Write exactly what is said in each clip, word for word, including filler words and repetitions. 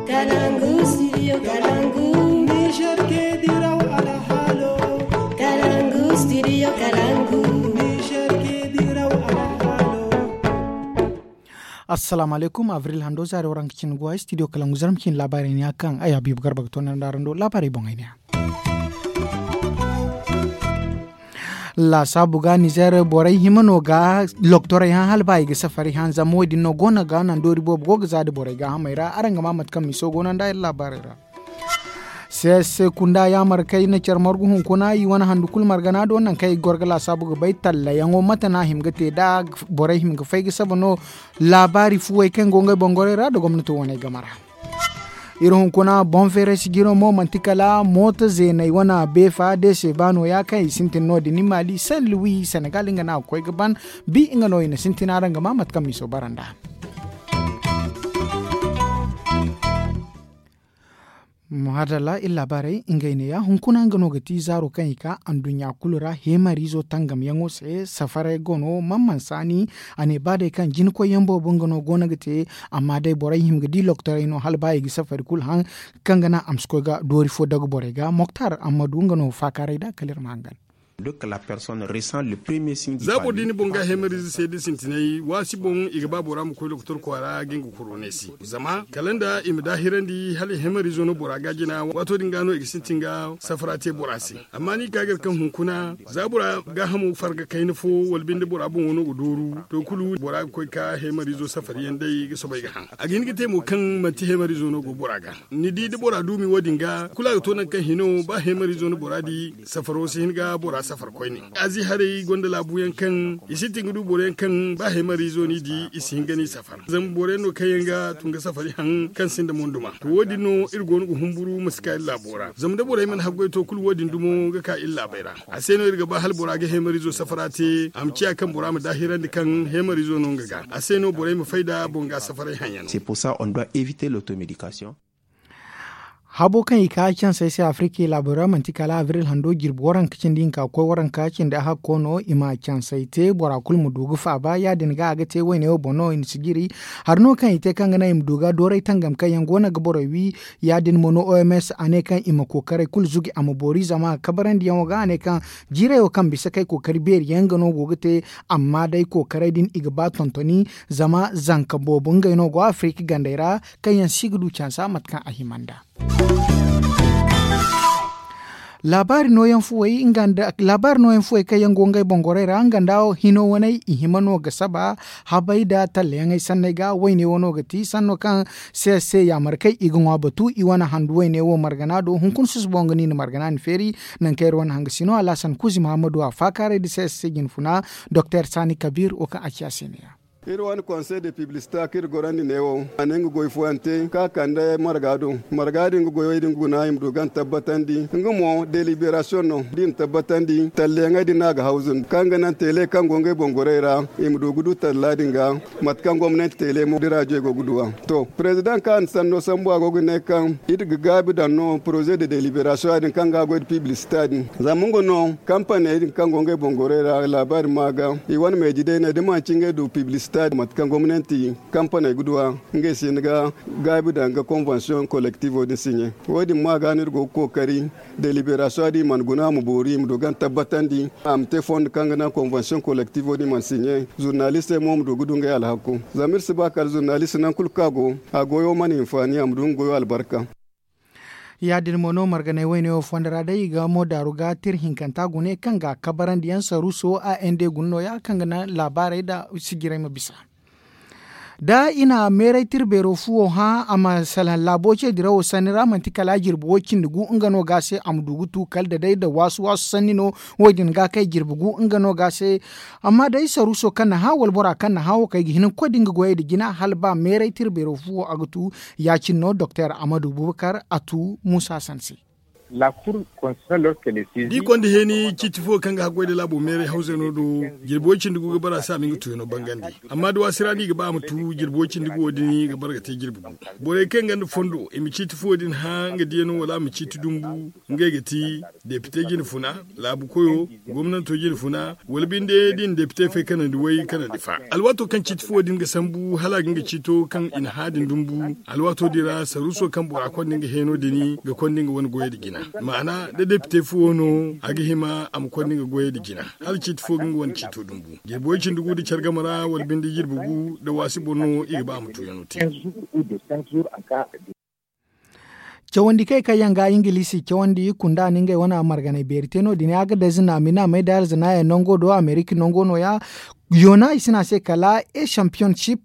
Kalangu studio kalangu. Niger ke diraw alhalo. Kalangu studio kalangu. Niger ke diraw alhalo. Assalamu alaikum, avril hando zaari waranka cin guwa studio kalangu zarma cin labaari ne a kaŋ ay habibu garba ga toonandi araŋ do labaari boŋ ay ne a. Laasaabu ga nizer borey hima no ga loktorey hã hala ba i ga safari hã zama wo- din no go no ga naŋ doori boobo go ga za nda borey gaahamey ra araŋ ga maa mate kaŋ miso go no nda iri laabaarey ra. Seese kunda yaamar kaŋ i na care margu hunkuna i wane handu kulu margana do naŋ kaŋ i ga goro ga laasaabu ga bay tallayaŋo mate no a hima ga te da borey hima ga fay ga saba no. Laabaari fuwey kaŋ go ngey boŋ gorey ra nda gomnato wane game ra. Iri hunkuna boŋ feeray sijiro mo manti kala mooto zeeney wane beefa deese ba nooya kaŋ i sintin no- din i maali sen luwi senegal nga no a ga koy ga ban. Bi nga no i na sintin araŋ ga maa mate kaŋ miso bara nd'a. Mahaadalla iri laabaarey ngey neeya hunkuna nga no ga ti zaaro kaŋ i ka anduɲɲa kulu ra heemariizo tangamyaŋo se safaray go no man man saani. A ne ba day kaŋ jinakoyyaŋ boobo nga no go no ga te. Amma day borey hima ga di loktorey no hala ba i ga safari kulu haŋ kaŋ ga naŋ a ma si koy ga doori fo dagu borey ga moktar ammadu nga no faakaaray nd'a kala iri ma hangan. Za boro di ni boŋ ga heemariize se da sintinay waasi boŋ i ga ba bora ma koy lokotor kwaara ga nga kuro ne se zama kala nda i ma daahirandi hala heemariizo no bora ga jina waato din ga no i ga sintin ga safara te bora se. Amma ni ga ka ga iri kaŋ hunkuna za bora gaahamo farga kayna fo wala binde bora boŋo no ga dooru to kulu bora ga koy ka heemariizo safari yaŋ day ga soobay ga haŋ. A ga hin ga te mo kaŋ manti heemariizo no go bora ga ni di da bora duumi wo- din ga kulu a ga to nangu kaŋ hino ba heemariizo no bora di safaro si hin ga bora safar koyne. Azi haray gonda laabu yaŋ kaŋ i sintin ga du boro yaŋ kaŋ ba heemariizo no i di i si hin ga no i safar zama boro yaŋ no kaŋ yaŋ ga tun ga safari haŋ kaŋ sinda monduma to wo- din no iri go no ga humburu ma si ka iri laabo ra zama da borey mana haggoy to kulu wo- din dumo ga ka iri laabey ra. A se no iri ga ba hala bora ga heemariizo safara te a ma ciya kaŋ bora ma daahirandi kaŋ heemariizo no nga ga a se no borey ma fay nda boŋ ga safaray haŋ yaŋ. Habo kaŋ i ka cansey se afrika laabo ra manti kala abril hando jirbi waranka cindi hinka ga koy waranka cindi a hakko no i ma cansey te bora kulu ma du ga faaba ya- din ga a ga te wayne wo boŋ no i na si jiri. Hari no kaŋ i te kaŋ ga naŋ i ma du ga dooray tangam kaŋ yaŋ go no ga borey wi. Ya- din mo no oms a ne kaŋ i ma kookaray kulu zugi a ma boori zama kabarandiyaŋo ga a ne kaŋ jiirayo kaŋ bisa kay kookari beeri yaŋ nga no go ga te. Amma day kookaray din i ga ba tontoni zama zanka boobo ngey no go afrika gandey ra kaŋ yaŋ si ga du cansa mate kaŋ a hima nd'a. Laabaari nooyaŋ fuwey kaŋ yaŋ go ngey boŋ gorey ra nga nda hino waney i hima no ga saba habay nda tallayaŋey sanney ga wayne wano ga ti sanno kaŋ se se yaamarkey i ga ŋwa batu i wane handu wayne wo margana do hunkuna susubo nga no i na margana ni feeri. Nangu kaŋ iri wane hanga sino alhasan kuuzi muhammadu a faakaaray nda se se jinfuna doktor saani kabiir wo kaŋ a ci a se ne ya. Iri wane konsey de piblisita kaŋ iri gorandi neewo a ne nga goy fooyaŋ te kaŋ a kande marga do. Marga din ga goyey din guna i ma du gan tabbatandi nga mo deliberasiyoŋ no da i na tabbatandi talleyaŋey din no a ga hawzu nda kaŋ ga naŋ teele kaŋ go ngey boŋ gorey ra. I ma du ga du talla din ga mate kaŋ gomnanti teele mo da raajoy go ga du a. To parezidaŋ kaŋ a na sanno sambu a go ga ne kaŋ iri ga gaabi daŋ no poroze de deliberasiyoŋ ya- din kaŋ ga a goy nda piblisita din zama nga no kampaney din kaŋ go ngey boŋ gorey ra laabaari ma ga i wane meeji day ne da manci ngey du piblisita din mate kaŋ gomnanti kampaney ga du a. Ngey se ni ga gaabi daŋ ga konvansiyoŋ kolektivo din siɲe. Wo- din ma ga no iri go ga kookari deliberasiyoŋ din i mana guna a ma boori i ma du gan tabbatandi a ma te fondo kaŋ ga naŋ konvansiyoŋ kolektivo din i mana siɲe zurnalistey mo ma du ga du ngey alhakku. Zama iri si ba kala zurnalist nangu kulu kaŋ a go a goyo mana hinfaani a ma du nga goyo albarka. Ya- din mo no marganay wayne wo fondo ra day i ga mo daaru ga tira hinkanta gune kaŋ ga kabarandiyaŋ saruuso a ende guna nooya kaŋ ga naŋ laabaarey nda sijirey ma bisa. Da i na meeray tira beero fuwo hã a ma salaŋ laabo ce dirawo sanni ra manti kala jirbi wo- cindi gu nga no ga a se a ma du ga tu kala da day nda waasu waasu sanni no. Wo- din ga kay jirbi gu nga no ga a se. Amma day saruuso kaŋ na hã wala bora kaŋ na hã wo kay ga hin ga koy da nga goyey nda jina hala ba meeray tira beero fuwo a ga tu. Ya- cine no doktor amadu bubakar a tu muusa sanse. Da i konda heeni ciiti fo kaŋ ga haggoy nda laabo meeray hawzey no do, jirbi way cindi gu ga bara a se a ma nga tuuyaŋo bangandi. Amma da waasi ra no i ga ba a ma tu jirbi way cindi gu wo din ga bara ga te jirbi gu. Borey kaŋ gonda fondo i ma ciiti fo din hã nga diyaŋo wala a ma ciiti dumbu, ngey ga ti depite jine funa, laabu koyo, gomnanto jine funa, wala binde da i na depite fay kanandi way kanandi fa. Alwaato kaŋ ciiti fo din ga sambu hala a ga nga ciito kaŋ i na hã din dumbu, alwaato din ra saruuso kaŋ bora konda nga heeno din ga konda nga wane goyey nda jina. Maana da depite fo no a ga hima a ma konda nga goyey nda jina, hala ciiti fo ga nga wane ciito dumbu. Jirbi way cindi gu nda care game ra wala binde jirbi gu nda waasi boŋ no i ga ba a ma tuuyaŋo te. Cawandi kay kaŋ yaŋ ga ingiliisi cawandi kunda no ngey wane marganay beeri te no- din, agadez naami naamey da alzanaayaŋ nango do amerika nango no- ya. Yoona i si ne a se kala e championship.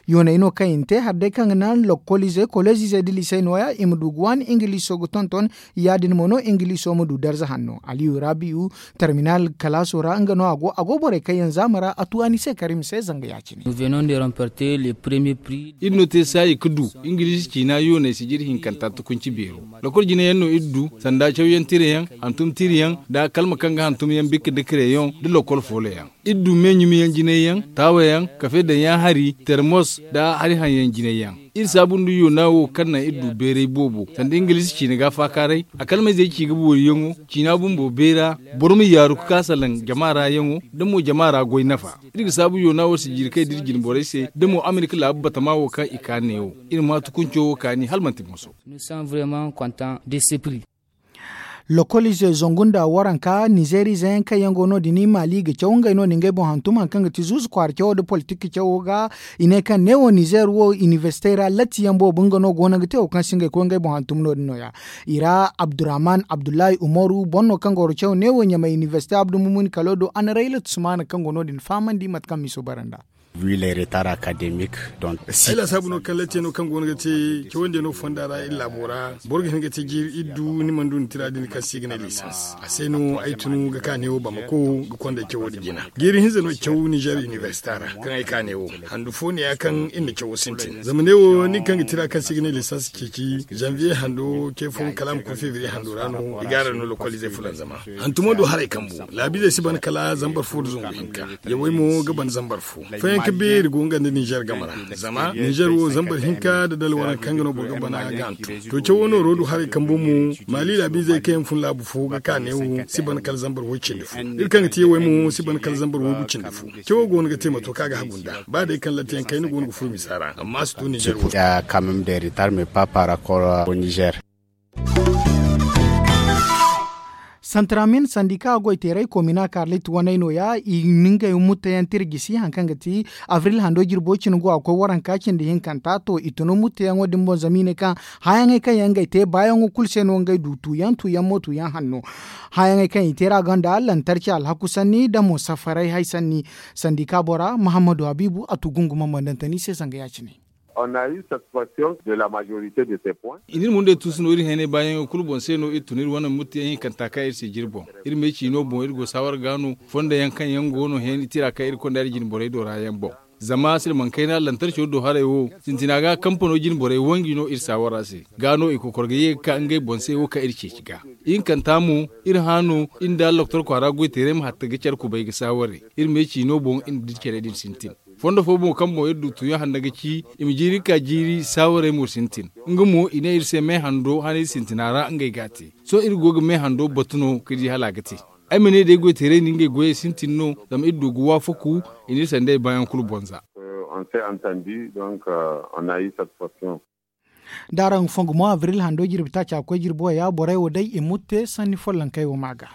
Yooney no kaŋ i na te hari day kaŋ ga naŋ lokoliizey koleezizey da liisey no- ya i ma du ga waani ingiliiso ga tonton. Ya- din mo no ingiliiso ma du darza hanno aliyu rabiyu, terminal kalaaso ra nga no a go a go borey kaŋ yaŋ zaama ra a tu a ni se kar i ma se zanga ya- cine. Iri no te saayi ga du ingiliisi ciina yooney sijiri hinkanta tukunci beero. Lokol jine yaŋ no iri du, sanda cawyaŋ tira yaŋ, hantum tira yaŋ, nda kalma kaŋ ga hantum yaŋ bikka nda kare yaŋ nda lokol foolo yaŋ. Iri du me ɲumi yaŋ jine yaŋ, taawa yaŋ, kafe daŋ yaŋ hari, termos, nda hari haŋ yaŋ jine yaŋ. Iri saabu nda yoona wo kaŋ naŋ iri du beeray boobo sanda ingiliisi ciina ga faakaaray. A kalmayzey ci ga boori yaŋo ciina bumbo beera, boro ma yaaru ga ka salaŋ jama ra yaŋo, da mo jama ra goy nafa. Iri ga saabu yoona wo sijiri kay da iri jine borey se da mo amerika laabu batama wo kaŋ i ka neewo. Iri ma tukunco wo kaani hala manti boŋ so. Lokoliizey zangu nda waranka nizeeriize yaŋ kaŋ yaŋ go no- din maali ga caw ngey no- din ngey boŋ hantum hari kaŋ ga ti zuuzu kwaara cawo nda politik cawo ga. I ne kaŋ neewo nizeer wo inibersite ra latti yaŋ boobo nga no go no ga te wo kaŋ se ngey koy ngey boŋ hantum no- din no- ya. I ra abdurrahman abdullahi umaru boro no kaŋ ga wara caw neewo ɲamay inibersite abdu mumuni kalo do a na rayla tusmaana kaŋ go no- din fahamandi mate kaŋ miso bara nd'a. Ay laasaabu no kaŋ latti yaŋo kaŋ go no ga te cawandi yaŋo fonda ra iri laabo ra. Boro ga hin ga te jiiri iri du ni mana du ni tira din kaŋ se i ga ne lisans a se no ay tun ga ka neewo bamako ga konda cawo din jina. Jiiri hinza no caw nizeer inibersita ra kaŋ ay ka neewo handu fo ne- ya kaŋ iri na cawo sintin zama neewo nin kaŋ ga tira kaŋ se i ga ne lisans ceeci zanviye hando ce fo kala a ma koy febriye hando ra no i ga a ra no lokoliizey fulanzama. Hantumo do haray kambu laabiizey si ban kala zambar fo nda zangu hinka. Yawey mo ga ban zambar fo. Fayanka beeri go nga nda nizeer game ra. Zama nizeer wo zambar hinka nda dala waranka kaŋ ga no boro ga bana ga hantum. To cawo nooro du haray kambu mo maali laabiizey kaŋ yaŋ fun laabu fo ga ka neewo si ban kala zambar way cindi fo. Iri kaŋ ga te yawey mo si ban kala zambar waygu cindi fo. Cawo go no ga te mato kaŋ a ga hagu nd'a ba day kaŋ latti yaŋ kayna go no ga furo misa ra amma a si to nizeer wo. Santramin sandika goyteeray komina karlit waney no- ya i na ngey mutteyaŋ tira gisi hari kaŋ ga ti abril hando jirbo cine go a koy waranka cindi hinkanta to i tun mutteyaŋo din boŋ zama i ne kaŋ hayaŋey kaŋ yaŋ ngey te baayaŋo kulu se no ngey du tuuyaŋ tuuyaŋ mo tuuyaŋ hanno. Hayaŋey kaŋ i te ra gonda lantarci alhaku sanni nda mo safaray hay sanni. Sandika bora muhammadu habiibu a tu gunguma mandantani se zanga ya- cine. I n'iri mundey tuusu no iri heenay baayaŋey kulu boŋ se no iri tun iri wane muttiyaŋ hinkanta kaŋ iri si jiri boŋ. Iri me ciino boŋ iri go saawar ga no fondo yaŋ kaŋ yaŋ go no heeni tira kaŋ iri konda iri jine borey do ra yaŋ boŋ. Zama silmaŋ kayna lantarco do haray wo sintina ga kampano jine borey wanji no iri saawara se. Ga no i kokor ga ye ga ka ngey boŋ se wo kaŋ iri ceeci ga. Ihinkanta mo iri hã no iri nda allokotor kwaara goyteeray ma hatta ga care kubay ga saawaray. Iri me ciino boŋ iri na dira care din sintin. Fondo fo mo kaŋ boŋ iri du tuuyaŋ handa ga ci i ma jiiri ka jiiri saawaray mo sintin. Nga mo i ne iri se me hando hanay sintina ra ngey ga a te. Sohõ iri go ga me hando batu no ka di hala a ga te. Ay ma ne day goyteeray na ngey goyey sintin no zama iri du ga waafaku. I n'iri sandey baayaŋ kulu bonza. D'araŋ fongu mo abril hando jirbi taaca koy jirbo ya borey wo day i mutte sanni follonkey wo ma ga.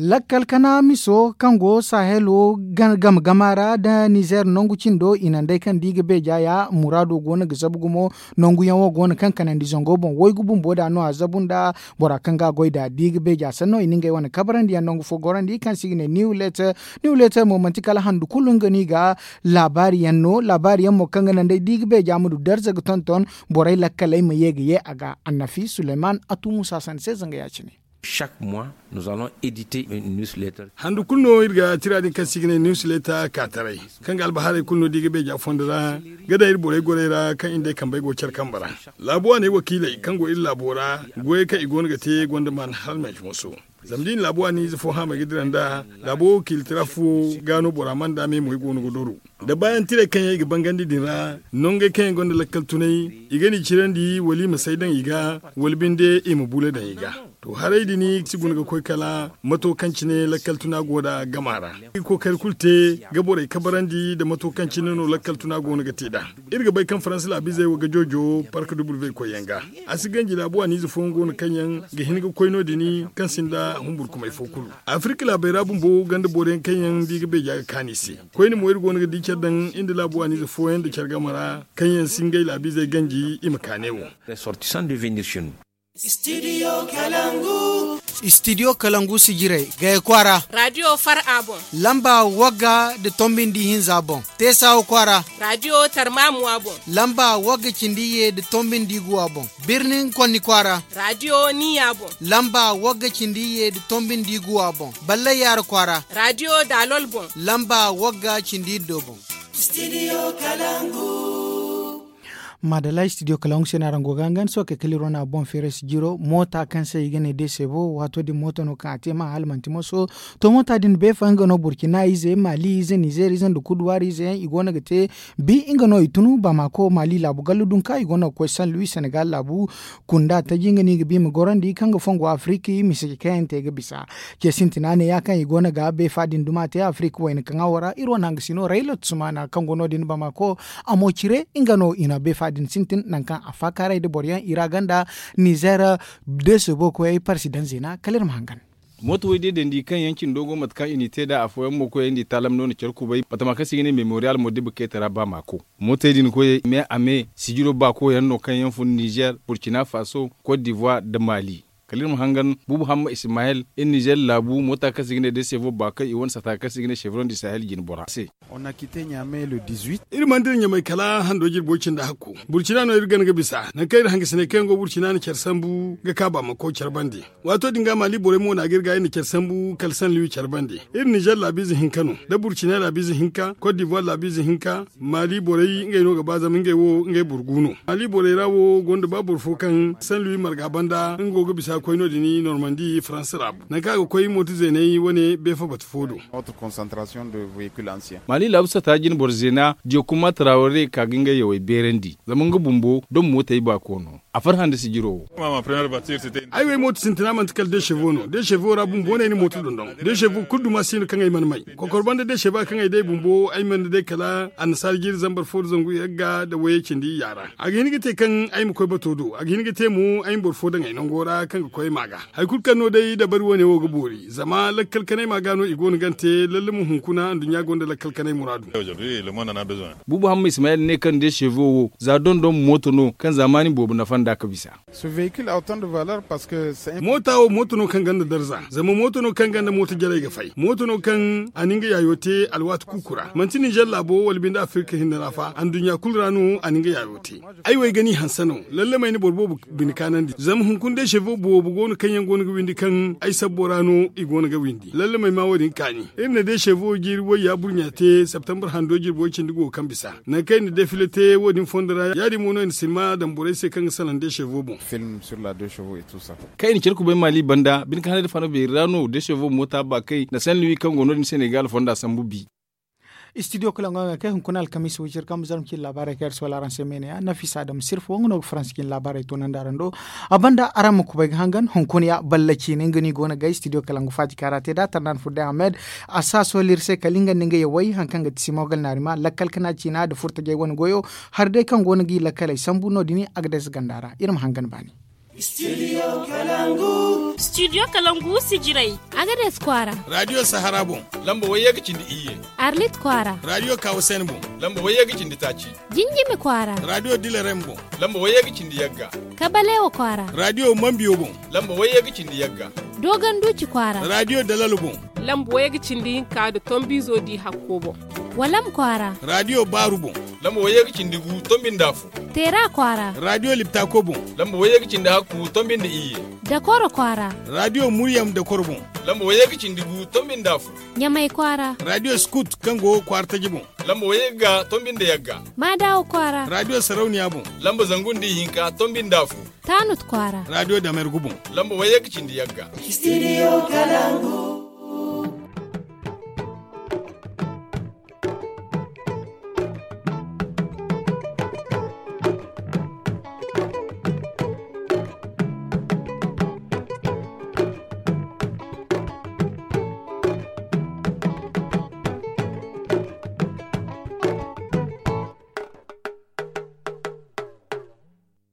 Lakkal kana miso kaŋ go sahelo game gama ra nda nizer nangu cindo i naŋ day kaŋ da i ga beeja ya muraado go no ga zabu gumo. Nangu yaŋ wo go no kaŋ kanandi zango boŋ waygu bumbo da no a zabu nda bora kaŋ ga a goy da da i ga beeja sanno i na ngey wane kabarandi yaŋ nangu fo gorandi kaŋ se i ga ne niwlet. Niwlet mo manti kala handu kulu nga no i ga laabaari yaŋ no laabaari yaŋ mo kaŋ ga naŋ day da i ga beeja ma du darza ga tonton borey lakkaley ma ye ga ye a ga. Annafi suleyman a tu musa sanda se zanga ya- cine. Chaque mois nous allons éditer une newsletter. Handu kulu no iri ga tira din kaŋ se i ga ne newsletter ka taray, kaŋ ga albahaarey kulu no da i ga beeja fondo ra ga daŋ iri borey gorey ra kaŋ i nda ay kambey go care kambe ra. Laabu waaney wakiiley kaŋ go iri laabo ra, goyey kaŋ i go no ga te gonda maan hala manci moso. Zama da i na laabu waani ize fo haamay ga dira nd'a, laabo wakiiltira fo ga no bora mana da me mo i go no ga doro. Da baayaŋ tirey kaŋ yaŋ i ga bangandi din ra, nongey kaŋ yaŋ gonda lakkal tunay, i ga ni cirandi wala i ma say daŋ i ga, wala binde i ma bule daŋ i ga. To, haray din si guna ga koy kala mato kaŋ cine lakkal tuna go da gama ra. I ga kookari kulu te ga borey kabarandi nda mato kaŋ cine no lakkal tuna go no ga te nd'a. Iri ga bay kaŋ faransa laabiizey wo ga joojo park duble koyyaŋ ga. A si ganji laabu waaniize fooyaŋ go no kaŋ yaŋ ga hin ga koy no- din kaŋ sinda humburkumay fo kulu. Afirka laabey ra bumbo ganda boro yaŋ kaŋ yaŋ da i ga beeja ga kaanu i se. Koyne mo iri go no ga di care daŋ iri nda laabu waaniize fooyaŋ nda care game ra kaŋ yaŋ si ngey laabiizey ganji i ma kaanay wo. Istidiyo kalangu sijirey gaya kwaara. Radiyo far a boŋ. Lamba wagga nda tombi nda ihinza boŋ. Teesawa kwaara. Radiyo tarmamuwa boŋ. Lamba wagga cindi iyye nda tombi nda iguwa boŋ. Birnin konni kwaara. Radiyo niya boŋ. Lamba wagga cindi iyye nda tombi nda iguwa boŋ. Ballay yaara kwaara. Radiyo daalol boŋ. Lamba wagga cindi iddo boŋ. Maadalla istidiyo kalaŋ se no araŋ go ga hangan sookey kala iri wane a boŋ feeray si jiro moota kaŋ se i ga ne desevo waato din mooto no kaŋ a te ma hala manti moso. To moota din beefa nga no burkina ize mali ize nizer ize nda kuduwaari ize yaŋ i go no ga te bi nga no i tunu bamako mali laabu gallu dunka i go no ga koy san luwi senegal laabu kunda taji nga no i ga bi ma gorandi kaŋ ga fongo afiriki misiji kaŋ yaŋ te ga bisa. Ce sintina ne ya kaŋ i go no ga beefa din duma te afiriki wayna kaŋ a wara iri wane hanga sino rayla tusumana kaŋ go no- din bamako. A mo cire nga no i na beefa din sintin nangu kaŋ a faakaaray nda boro yaŋ i ra ganda nizer deese bookoyey parsi daŋ zeena kala iri ma hangan. Mooto way day dandi kaŋ yaŋ cindo go mate kaŋ i n'i te nd'a afooyaŋ mo koyey nda i taalam no na care kubay batama kaŋ se i ga ne memorial mo diba keeta ra ba maako. Mootey din koyey me a me sijiro baako yaŋ no kaŋ yaŋ fun nizer burkina faso, cote d'ivoire nda mali. Kala iri ma hangan buubu hamma ismayel iri nizer laabu moota kaŋ se i ga ne desevo ba kaŋ i wane sata kaŋ se i ga ne chevron du sahel jine bora se. Iri mana dira ɲamay kala hando jirbo cindi hakku burcina no iri gana ga bisa nangu kaŋ iri hangasiney kaŋ yaŋ go burcina na care sambu ga ka ba ma koy care bande. Waato din ga mali borey mo na ga iri ga iri na care sambu kala sanliwi care bande. Iri nizer laabiize hinka no da burcina laabiize hinka cote d'ivoire laabiize hinka. Mali borey ngey no ga ba zama ngey wo ngey boro gu no. Mali borey ra wo gonda ba boro fo kaŋ sanliwi marga banda nga go ga bisa koy no- din normandi faransa ra. Nangu kaŋ a ga koy mooto zeeney wane beefa batu fo do. Mali laabu sata jine boro zeena diyo kuma taraware ka ga ngey yawey beerandi zama nga bumbo dom mootey baako no. A farhã nda sijiro wo. Ay wo ay mooto sintina manti kala desevo no desevo ra bumbo no ay na mooto dondon. Desevo kulu duma si no kaŋ ay mana may kokor banda desevo kaŋ ay day bumbo ay mana day kala annasaara jiiri zambar fo nda zangu yagga nda wayey cindi iyya ra. A ga hin ga te kaŋ ay ma koy bato do a ga hin ga te mo ay ma boro fo daŋ ay nango ra kaŋ ga koy ay ma ga. Hari kulu kaŋ no day dabari wane wo ga boori zama lakkal kanay ma ga no i go no gante lalle mo hunkuna nduɲɲa gonda lakkal kanay muraadu. Buubu hamma ismayel ne kaŋ desevo wo za dondon mooto no kaŋ zaamaani boobo nafa nd'a ga bisa. Moota wo mooto no kaŋ gonda darza zama mooto no kaŋ gonda mooto jarey ga fay mooto no kaŋ a na nga yaayo te alwaati kuuku ra manti nizer laabo wala binde afirka hinne ra fa anduɲɲa kulu ra no a na nga yaayo te. Ay wo ay ga ni hanse no lalle ma ay na boro boobo bine kaanandi zama hunkuna desevo boobo go no kaŋ yaŋ go no ga windi kaŋ ay sabbo ra no i go no ga windi lalle ma ay ma wo- din kaani. Iri na desevo jiiri wayya burɲa te septembre hando jirbo cindi go kaŋ bisa nangu kaŋ ay na defile te wo- din fondo ra ya- din mo no ay na silma daŋ borey se kaŋ ga salaŋ desevo boŋ. Kaŋ i na care kubay mali banda bine kaŋ haney nda fano beeri ra no desevo moota baakay nda sanliwi kaŋ go no- din senegal fonda sambu bi. Istidiyo kala ŋwaŋey kay hunkuna alkamiisa wicir kaŋ ma zarma cine laabaarey kaŋ iri si wala araŋ se meene ya nafisa adama sirfo nga no ga faransa cine laabaarey toonandi araŋ do. A banda araŋ ma kubay ga hangan hunkuna ya balla ciine nga no i go no ga istidiyo kala nga faati kaŋ a ra te nd'a tarnaan furday ahmed. A si a sohõ iri se kala nga nda nga yawey hari kaŋ ga ti simogal naarima lakkal kana ciina nda furtajey wane goyo. Hari day kaŋ go no ga i lakkaley sambu no- din agades ganda ra iri ma hangan baani. Studio kalangu sijirey. Agades kwaara. Radio sahara boŋ. Lamba wayye ga cindi iyye. Arlit kwaara. Radio kawasen boŋ. Lamba wayye ga cindi taaci. Jinjimi kwaara. Radio dilerem boŋ. Lamba wayye ga cindi yagga. Kabalewa kwaara. Radio mambiyo boŋ. Lamba wayye ga cindi yagga. Dogon duci kwaara. Radio dalalo boŋ. Lamba wayye ga cindi hinka nda tombizo di hakko boŋ. Walam kwaara. Radio baaru boŋ. Lamba wayye ga cindi gu tombi nda afo. Teera kwaara. Radio liptako boŋ. Lamba wayye ga cindi hakku tombi nda iyye. Dakoro kwaara. Radio Muryam Dakoro boŋ. Lamba wayye ga cindi gu, tombi nda afo. Ɲamay kwaara. Radio Scout, kaŋ go kwaara taji boŋ. Lamba wayye ga, tombi nda yagga. Maadawo kwaara. Radio Sarauniya boŋ. Lamba zangu nda ihinka, tombi nda afo. Tanut kwaara. Radio Damergu boŋ. Lamba wayye ga cindi yagga. Studio Kalangu.